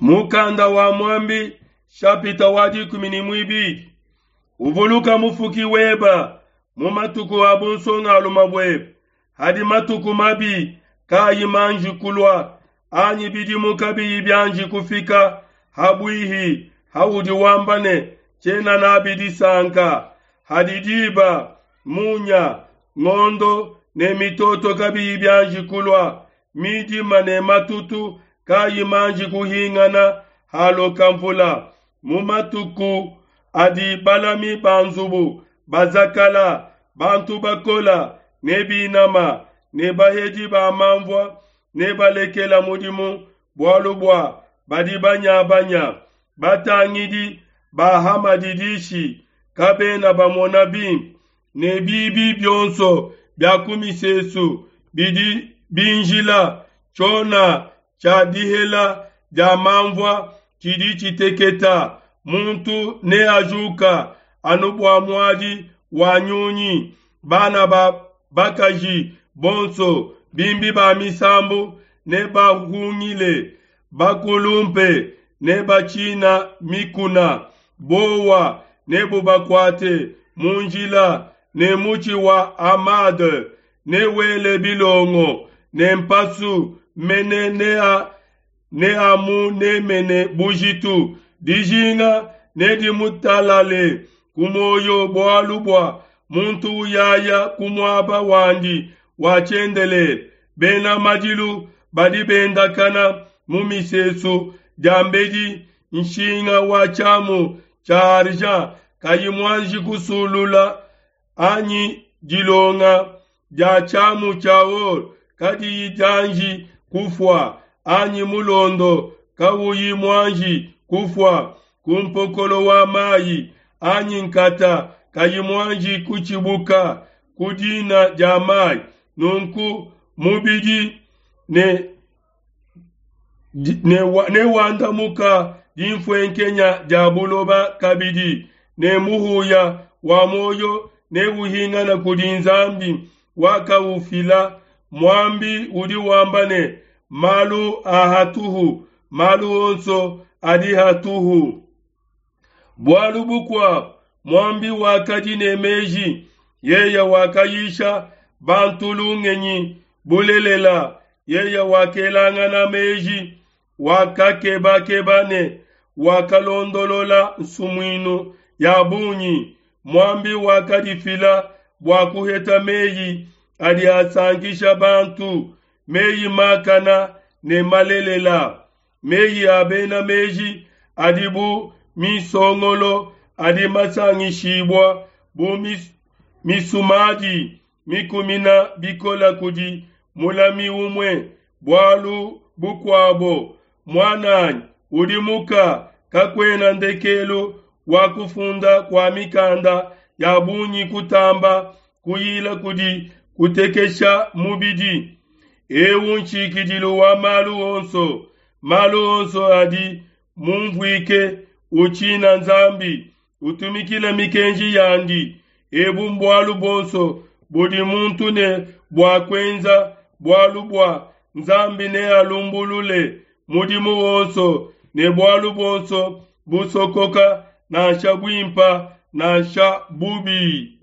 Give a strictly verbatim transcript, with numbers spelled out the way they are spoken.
Mukanda wa Muambi shapita wa dikumi ne muibidi uvuluka mufuki weba mu matuku a bunsongalume buebe, hadi matuku mabi kayi manji kulua, anyi bidimu kabiyi bianji kufika habuihi haudi wamba ne tshiena nabi disanka. Hadi diba, munya, ngondo ne mitoto kabiyi bianji kulua, midima ne matutu kayi manji kuhingana haloka mvula. Mu matuku adi balami ba nzubu bazakala, bantu bakola ne binama ne bahedi ba manvua ne balekela mudimu bualu bua badi banyabanya. Batangidi ba ha madidishi kabena bamona bimpe, ne bibi bionso bia ku misesu bidi binjila. Tshiona tshia dihela dia manvua tshidi tshiteketa, muntu neajuka anu bua muadi wa nyunyi. Bana ba bakaji bonso bimbi ba misambu nebahungile, bakulumpe nebatshina mikuna, bowa nebubakuate mu njila, ne mutshi wa amande newele bilongo, ne mpasu mene nea neamunemene bujitu. Dijinga nedimutalale ku muoyo bualu bua muntu uyaya ku muaba wandi wa tshiendelele. Bena madilu badi bendakana mu misesu diambedi nshinga wa tshiamu tshia argent kayi muanji kusulula, anyi dilonga dia tshiamu tshia or kadiyi dianji kufua, anyi mulondo kawuyi muanji kufua ku mpokolo wa mayi, anyi nkata kayi muanji kutshibuka ku dina dia mayi. Nunku mubidi ne newandamuka dinfuenkenya dia buloba kabidi, ne muhuya wa muoyo neuhingana kudi Nzambi wakaufila. Muambi udi wamba ne, malu a hatuhu, malu onso adi hatuhu. Bualu bukuabo, muambi wakadi ne meji, yeye wakayisha bantu lungenyi bulelela, yeye wakelangana meji, wakakebakeba ne wakalondolola nsumuinu ya bungi. Muambi wakadifila bua kuheta meyi adi asankisha bantu, meyi makana ne malelela. Meyi a bena meji adi bu misongolo adi masangishibua bu mis, misumadi mikumina bikola kudi mulami umue. Bualu bukuabo, muananyi, udimuka, kakuena ndekelu wa kufunda kua mikanda ya bungi kutamba kuyila kudi kutekesha mubidi. Eu nshikidilu wa malu onso, malu onso adi mumvuike. Utshina Nzambi, utumikila mikenji yandi. Ebu mbualu buonso budi muntu ne bua kuenza, bualu bua Nzambi nealumbulule mudimu wonso ne bualu buonso busokoka, nansha buimpa nansha bubi.